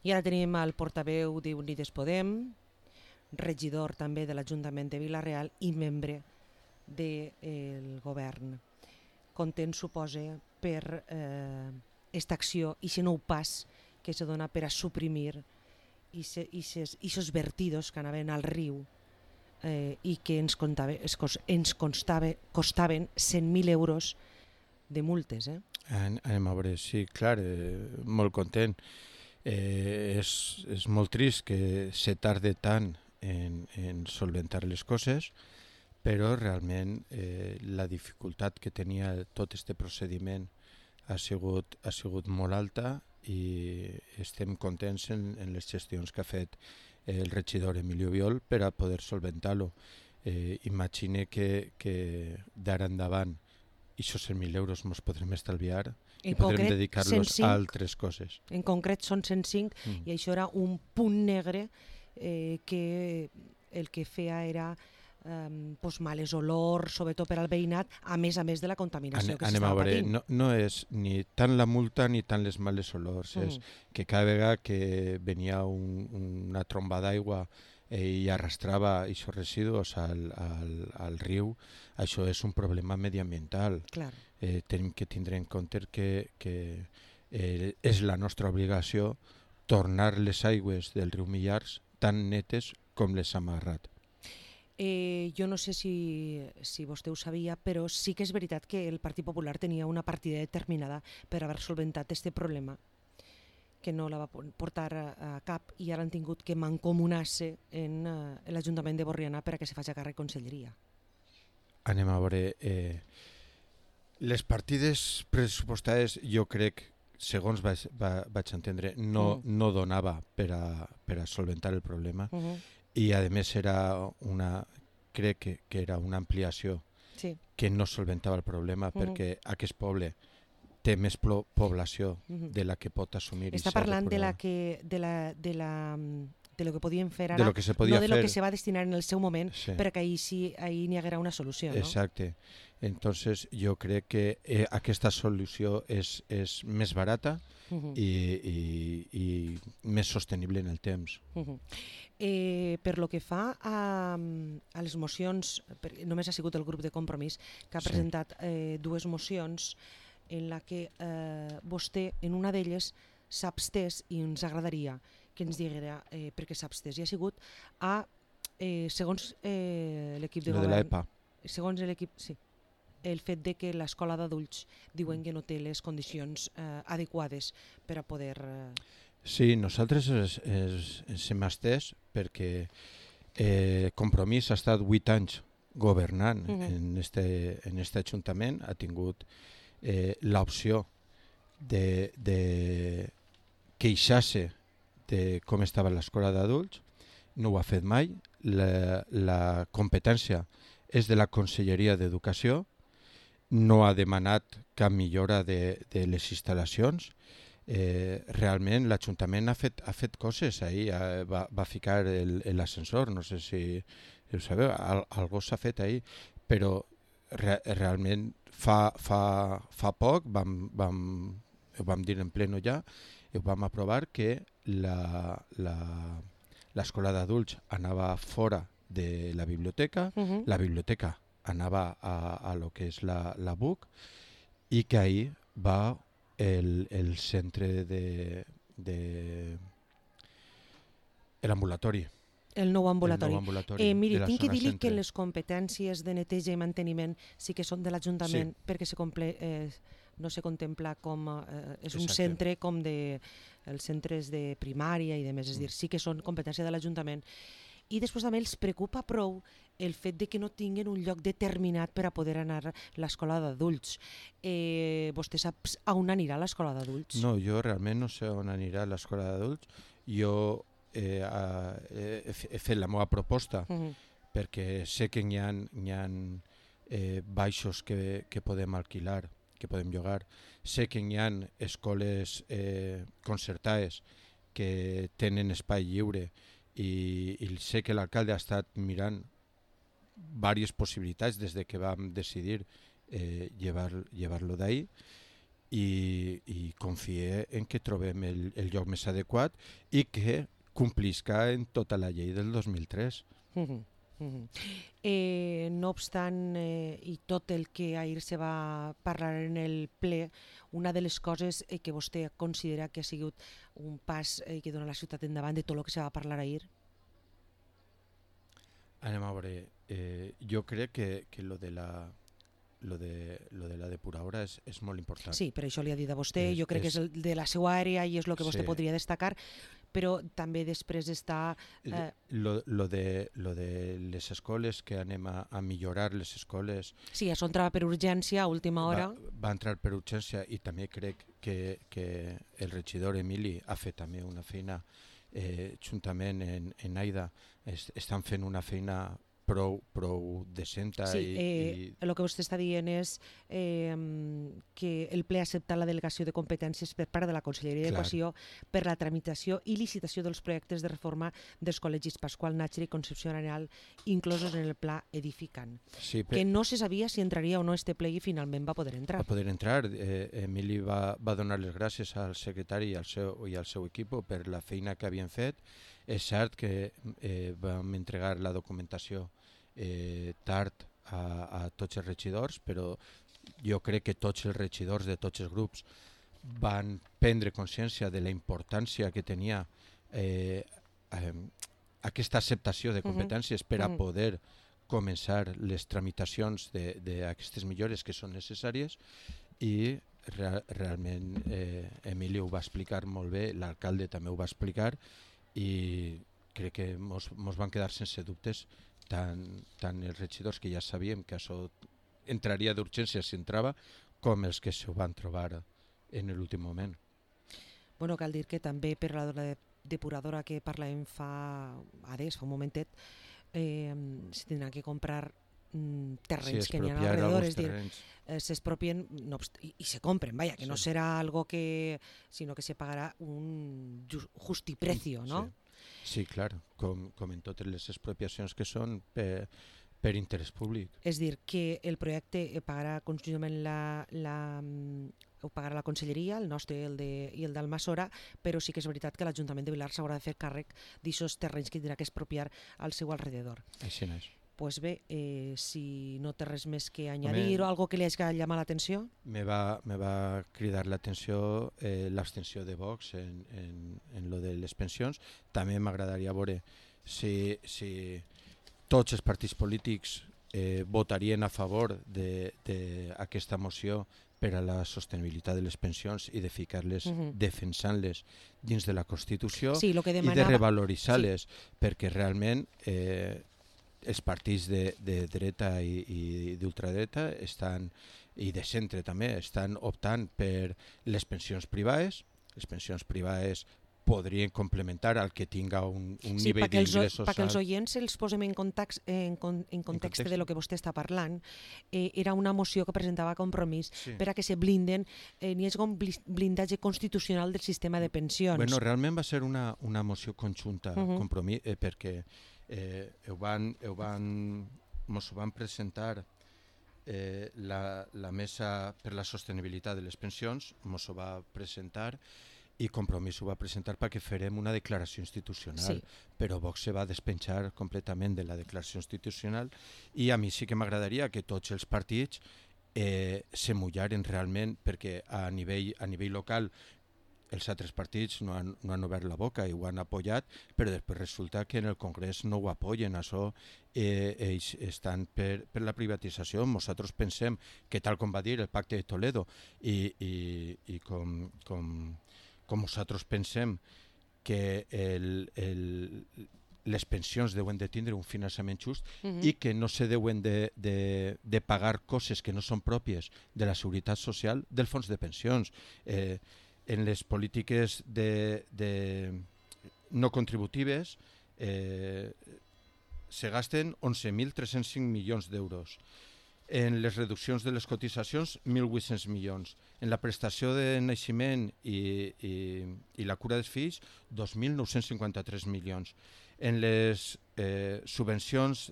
I ara tenim el portaveu d'Unides Podem, regidor també de l'Ajuntament de Vila-real i membre del govern. Content, suposa, per aquesta acció i aquest nou pas que se dona per a suprimir aquests vertidos que anaven al riu i que ens costaven 100.000 euros de multes. Anem a veure, sí, clar, molt content. És molt trist que se tarde tant en solventar les coses, però realment la dificultat que tenia tot aquest procediment ha sigut molt alta i estem contents en les gestions que ha fet el regidor Emilio Biol per a poder solventar-lo. Imagine que d'ara endavant aquests 100.000 euros ens podrem estalviar i podrem dedicar-los a altres coses. En concret són 105 i això era un punt negre que el que feia era males olors, sobretot per al veïnat, a més de la contaminació que s'estava patint. No és ni tant la multa ni tant les males olors, és que cada vegada que venia una tromba d'aigua i arrastrava aquests residus al riu, això és un problema mediambiental. Tenim que tindre en compte que és la nostra obligació tornar les aigües del riu Millars tan netes com les hem agarrat. Jo no sé si vostè ho sabia, però sí que és veritat que el Partit Popular tenia una partida determinada per haver solventat aquest problema, que no la va portar a cap i ara han tingut que mancomunar-se en l'Ajuntament de Borriana per a que se faci a càrrec conselleria. Anem a veure. Les partides pressupostades, jo crec, segons vaig entendre, no donava per a solventar el problema. I a més crec que era una ampliació que no solventava el problema perquè aquest poble té més població de la que pot assumir. Està parlant de lo que podien fer ara, no de lo que se va destinar en el seu moment, perquè ahir n'hi haguera una solució. Exacte. Entonces jo crec que aquesta solució és més barata i més sostenible en el temps. Per lo que fa a les mocions, només ha sigut el grup de Compromís que ha presentat dues mocions en la que vostè en una d'elles s'abstès i ens agradaria que ens diguera per què s'abstès. I ha sigut segons l'equip de govern... de l'EPA. Segons l'equip, sí. El fet de que l'escola d'adults diuen que no té les condicions adequades per a poder... Sí, nosaltres ens hem estès perquè Compromís ha estat 8 anys governant en este ajuntament, ha tingut l'opció de queixar-se de com estava l'escola d'adults, no ho ha fet mai, la competència és de la Conselleria d'Educació, no ha demanat cap millora de les instal·lacions. Realment l'Ajuntament ha fet coses ahir, va ficar l'ascensor, no sé si ho sabeu, algo s'ha fet ahir, però realment fa poc ho vam dir en pleno ja i ho vam aprovar que l'escola d'adults anava fora de la biblioteca, la biblioteca anava a lo que és la BUC i que ahir va el centre de l'ambulatori. El nou ambulatori. Miri, tinc que dir-li que centre. les competències de neteja i manteniment sí que són de l'Ajuntament perquè no se contempla com és un centre com els centres de primària i demés, és dir, sí que són competència de l'Ajuntament. I després també els preocupa prou el fet de que no tinguin un lloc determinat per a poder anar a l'escola d'adults. Vostè sap on anirà l'escola d'adults? No, jo realment no sé on anirà l'escola d'adults. Jo he fet la meva proposta perquè sé que hi ha baixos que podem alquilar, que podem llogar. Sé que hi ha escoles concertades que tenen espai lliure i sé que l'alcalde ha estat mirant diverses possibilitats des de que vam decidir llevar-lo d'ahir i confie en que trobem el lloc més adequat i que complisca en tota la llei del 2003. No obstant, i tot el que ahir se va parlar en el ple, una de les coses que vostè considera que ha sigut un pas que dona la ciutat endavant de tot el que se va parlar ahir? Anem a veure, jo crec que lo de la depuradora és molt important. Sí, per això li ha dit a vostè, jo crec que és el de la seva àrea i és el que vostè podria destacar, però també després està... Lo de les escoles, que anem a millorar les escoles... Sí, això entrava per urgència a última hora. Va entrar per urgència i també crec que el regidor Emili ha fet també una feina, juntament en Aida, estan fent una feina prou decenta. Sí, el que vostè està dient és que el ple ha acceptat la delegació de competències per part de la Conselleria d'Educació per la tramitació i licitació dels projectes de reforma dels col·legis Pasqual Nájera i Concepció Arenal inclosos en el pla edificant. Sí, que no se sabia si entraria o no este ple i finalment va poder entrar. Va poder entrar. Emili va donar les gràcies al secretari i al seu equip per la feina que havien fet. És cert que vam entregar la documentació tard a tots els regidors, però jo crec que tots els regidors de tots els grups van prendre consciència de la importància que tenia aquesta acceptació de competències per a poder començar les tramitacions d'aquestes millores que són necessàries, i realment Emili ho va explicar molt bé, l'alcalde també ho va explicar, i crec que mos van quedar sense dubtes tant els regidors, que ja sabíem que això entraria d'urgència si entrava, com els que s'ho van trobar en l'últim moment. Bueno, cal dir que també per la depuradora que parlàvem fa un momentet, se tindran que comprar terrenys que n'hi ha alrededor, és dir, s'expropien i se compren, vaya, que no serà algo que, sinó que se pagarà un justiprecio, no? Sí, clar, com en totes les expropiacions que són per interès públic. És dir, que el projecte pagarà conjuntament ho pagarà la Conselleria, el nostre i el d'Almassora, però sí que és veritat que l'Ajuntament de Vilar s'haurà de fer càrrec d'aquests terrenys que tindrà que expropiar al seu alrededor. Així és. Pues bé, si no té res més que añadir o algo que li hagi llamat l'atenció. Me va cridar l'atenció l'abstenció de Vox en lo de les pensions. També m'agradaria veure si tots els partits polítics votarien a favor d'aquesta moció per a la sostenibilitat de les pensions i de ficar-les, defensant-les dins de la Constitució, i de revaloritzar-les, perquè realment els partits de dreta i d'ultradreta i de centre també estan optant per les pensions privades. Les pensions privades podrien complementar al que tinga un nivell d'ingressos. Perquè els oients els posem en context de lo que vostè està parlant, era una moció que presentava Compromís per a que se blinden, n'hi hagi un blindatge constitucional del sistema de pensions. Bueno, realment va ser una moció conjunta, Compromís, perquè mos ho van presentar la Mesa per la Sostenibilitat de les Pensions, mos ho va presentar, i Compromís ho va presentar perquè farem una declaració institucional, però Vox se va despenjar completament de la declaració institucional, i a mi sí que m'agradaria que tots els partits se mullaren realment, perquè a nivell local els altres partits no han obert la boca i ho han apoyat, però després resulta que en el Congrés no ho apoyen. Això ells estan per la privatització. Nosaltres pensem que, tal com va dir el Pacte de Toledo, i com nosaltres pensem que les pensions deuen de tindre un finançament just i que no se deuen de pagar coses que no són pròpies de la seguretat social del fons de pensions. En les polítiques no contributives se gasten 11.305 milions d'euros. En les reduccions de les cotitzacions, 1.800 milions. En la prestació de naixement i la cura dels fills, 2.953 milions. En les subvencions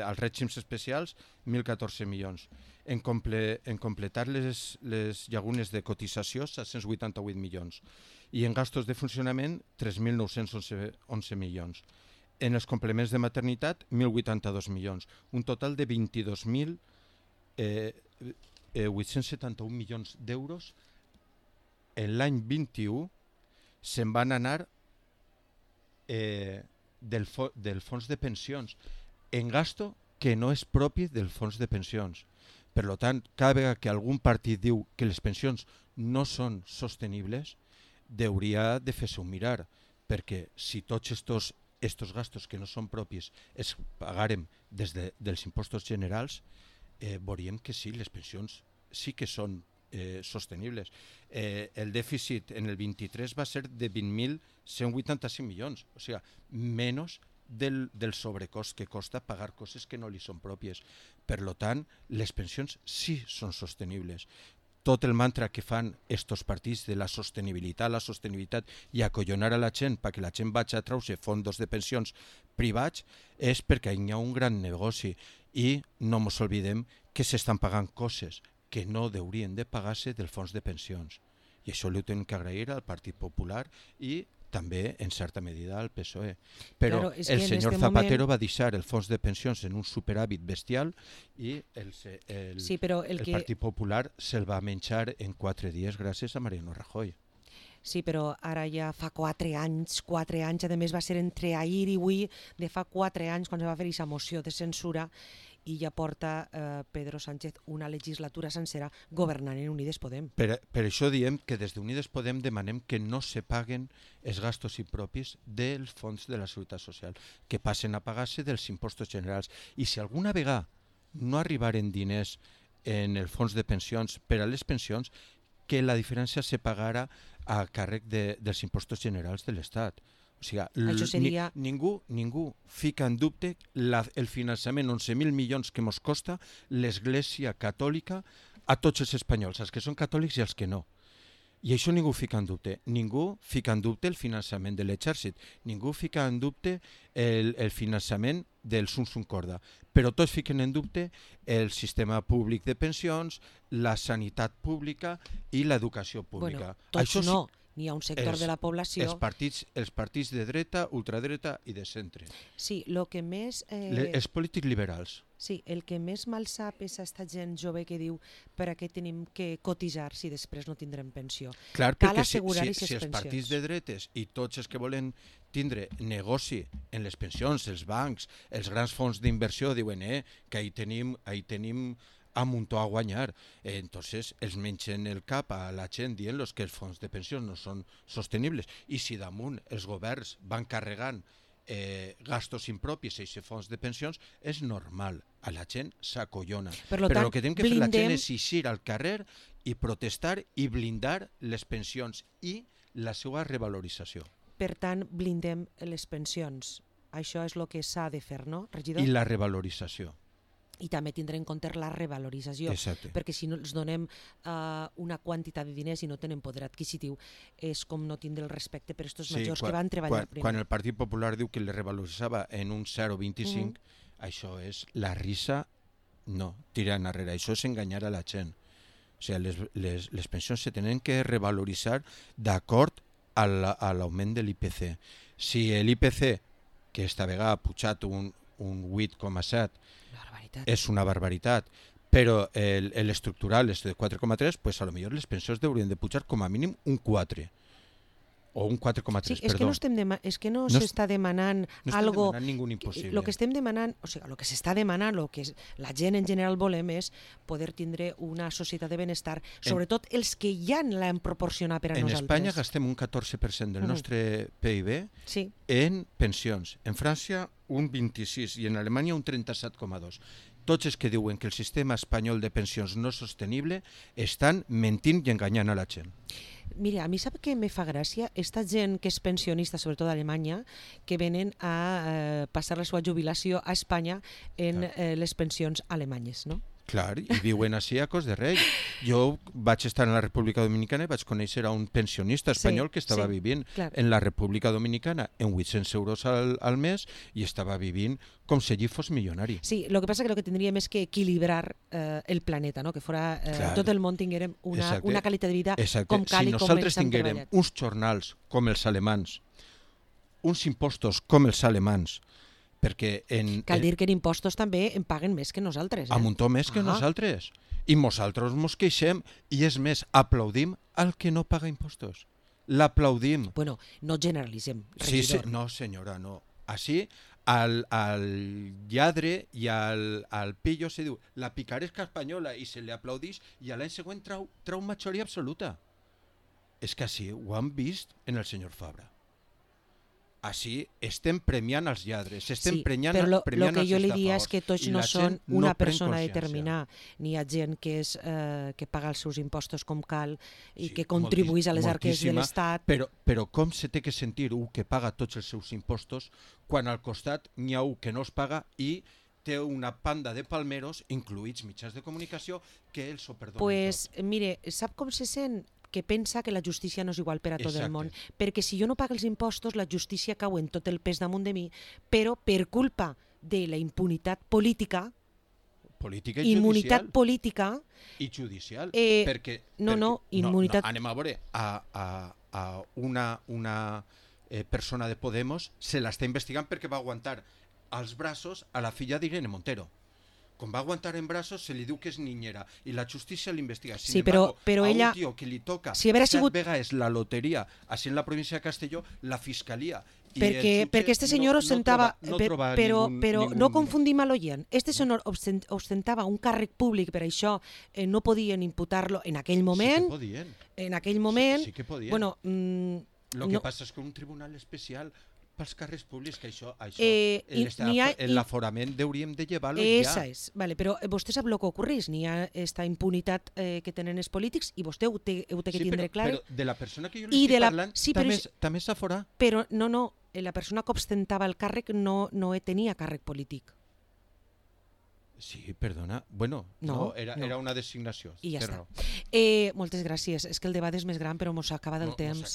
als règims especials, 1.014 milions. En completar les llagunes de cotització, 788 milions. I en gastos de funcionament, 3.911 milions. En els complements de maternitat, 1.082 milions. Un total de 871 milions d'euros en l'any 21 se'n van anar del fons de pensions en gasto que no és propi del fons de pensions. Per tant, cada vegada que algun partit diu que les pensions no són sostenibles, hauria de fer-se un mirar, perquè si tots estos gastos que no són propis es pagarem des dels impostos generals, veuríem que sí, les pensions sí que són sostenibles. El dèficit en el 23 va ser de 20.185 milions, o sigui, menys del sobrecost que costa pagar coses que no li són pròpies. Per tant, les pensions sí són sostenibles. Tot el mantra que fan estos partits de la sostenibilitat i acollonar a la gent perquè la gent vagi a treure fondos de pensions privats és perquè hi ha un gran negoci i no ens oblidem que s'estan pagant coses que no haurien de pagar-se del fons de pensions. I això ho hem d'agrair al Partit Popular i també, en certa medida, al PSOE. Però claro, el senyor Zapatero va deixar el fons de pensions en un superàvit bestial i el Partit Popular se'l va menjar en 4 dies gràcies a Mariano Rajoy. Sí, però ara ja fa 4 anys, a més va ser entre ahir i avui, de fa 4 anys, quan es va fer aquesta moció de censura, i ja porta Pedro Sánchez una legislatura sencera governant en Unides Podem. Per això diem que des d'Unides Podem demanem que no se paguen els gastos impropis dels fons de la Seguretat Social, que passen a pagar-se dels impostos generals. I si alguna vegada no arribaren diners en el fons de pensions per a les pensions, que la diferència se pagara a càrrec dels impostos generals de l'Estat. O sigui, seria... ningú fica en dubte el finançament, 11.000 milions que ens costa l'Església Catòlica a tots els espanyols, els que són catòlics i els que no. I això ningú fica en dubte. Ningú fica en dubte el finançament de l'exèrcit. Ningú fica en dubte el finançament del Sum Sum Corda. Però tots fiquen en dubte el sistema públic de pensions, la sanitat pública i l'educació pública. Bueno, tots això no. N'hi ha un sector de la població... Els partits de dreta, ultradreta i de centre. Sí, el que més... Els polítics liberals. Sí, el que més mal sap és aquesta gent jove que diu per a què tenim que cotitzar si després no tindrem pensió. Clar, perquè si els partits de dretes i tots els que volen tindre negoci en les pensions, els bancs, els grans fons d'inversió diuen que ahí tenim a muntó a guanyar. Entonces els mengen el cap a la gent dient-los que els fons de pensions no són sostenibles. I si damunt els governs van carregant gastos impropis a aquests fons de pensions, és normal. A la gent s'acollona. Però el que tenim que fer la gent és eixir al carrer i protestar i blindar les pensions i la seva revalorització. Per tant, blindem les pensions. Això és el que s'ha de fer, no, regidor? I la revalorització. I també tindre en compte la revalorització. Exacte. Perquè si no els donem una quantitat de diners i no tenen poder adquisitiu, és com no tindre el respecte per aquests majors que van treballar primer. Quan el Partit Popular diu que le revaloritzava en un 0,25, això és la risa, no, tirar enrere, això és enganyar a la gent. O sigui, les pensions se tenen que revaloritzar d'acord a l'augment de l'IPC. Si l'IPC, que esta vegada ha pujat un 8,7, és una barbaritat, però l'estructural és de 4,3, pues a lo millor les pensions haurien de pujar com a mínim un 4 o un 4,3, sí, perdó. És que no s'està demanant algo... No estem demanant ningú impossible. El que estem demanant, o sigui, el que s'està demanant, el que la gent en general volem és poder tindre una societat de benestar, sobretot els que ja l'han proporcionat per a nosaltres. En Espanya gastem un 14% del nostre PIB en pensions. En França un 26% i en Alemanya un 37,2%. Tots els que diuen que el sistema espanyol de pensions no és sostenible estan mentint i enganyant a la gent. Mira, a mi sap què me fa gràcia? Esta gent que és pensionista, sobretot a Alemanya, que venen a passar la seva jubilació a Espanya en les pensions alemanyes, no? Clar, i viuen així a cos de rei. Jo vaig estar en la República Dominicana i vaig conèixer a un pensionista espanyol que estava vivint en la República Dominicana en 800 euros al mes i estava vivint com si allí fos milionari. Sí, lo que pasa que lo que tendríem és que equilibrar el planeta, no? Que fora tot el món tinguérem una qualitat de vida com cal i com nosaltres tinguérem uns jornals com els alemans, uns impostos com els alemans, perquè cal dir que en impostos també en paguen més que nosaltres. A muntó més que nosaltres. I nosaltres mos queixem i és més, aplaudim al que no paga impostos. L'aplaudim. Bueno, no generalitzem, Sí, regidor. no senyora, no. Així, al lladre i al pillo se diu la picaresca espanyola i se li aplaudix i a l'any següent trau majoria absoluta. És que així ho han vist en el senyor Fabra. Així estem premiant els lladres, estem premiant els estafadors. Però el que jo li diria és que tots no són una persona determinada. N'hi ha gent que paga els seus impostos com cal i que contribueix a les arques de l'Estat. Però com se té que sentir un que paga tots els seus impostos quan al costat n'hi ha un que no els paga i té una panda de palmeros, incluïts mitjans de comunicació, que els ho perdonen pues, tot. Mire, sap com se sent? Que pensa que la justícia no és igual per a tot el món, perquè si jo no pago els impostos, la justícia cau en tot el pes damunt de mi, però per culpa de la impunitat política, immunitat política i judicial, immunitat... Anem a veure, a una persona de Podemos se l'està investigant perquè va aguantar als braços a la filla d'Irene Montero. Com va aguantar en braços, se li diu que és niñera i la justícia l'investiga. Sí, però ella... a un tio que li toca si 7 vegades la loteria, així en la província de Castelló, la fiscalia... Perquè este senyor ostentava... Però no confundim a l'oient. Este senyor ostentava un càrrec públic, per això no podien imputar-lo en aquell moment. Sí que podien. En aquell moment... Sí que podien. Bueno, lo que passa és que un tribunal especial... pels càrrecs públics, que això l'aforament hauríem de llevar-lo ja. Vale, però vostè sap el que ocorreix, n'hi ha esta impunitat que tenen els polítics i vostè ho té que tindre clar. Però de la persona que jo li estic parlant també s'aforà. Però no, la persona que ostentava el càrrec no tenia càrrec polític. Sí, perdona. Bueno, no, era una designació. I ja està. Moltes gràcies. És que el debat és més gran, però ens acaba del temps.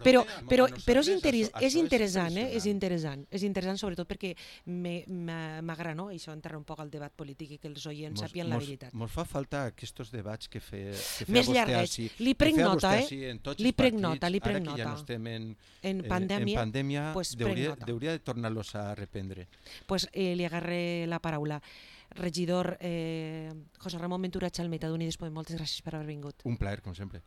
Però és interessant, és interessant sobretot perquè m'agrada, no? Això enterra un poc el debat polític i que els oients sàpien la veritat. Ens fa falta aquests debats que feia més llarguets. Li prenc nota, Li prenc nota. Ara que ja no estem en pandèmia, hauria de tornar-los a reprendre. Pues li agarré la paraula. Regidor José Ramón Ventura Chalmeta d'Unides Podem, moltes gràcies per haver vingut. Un plaer, com sempre.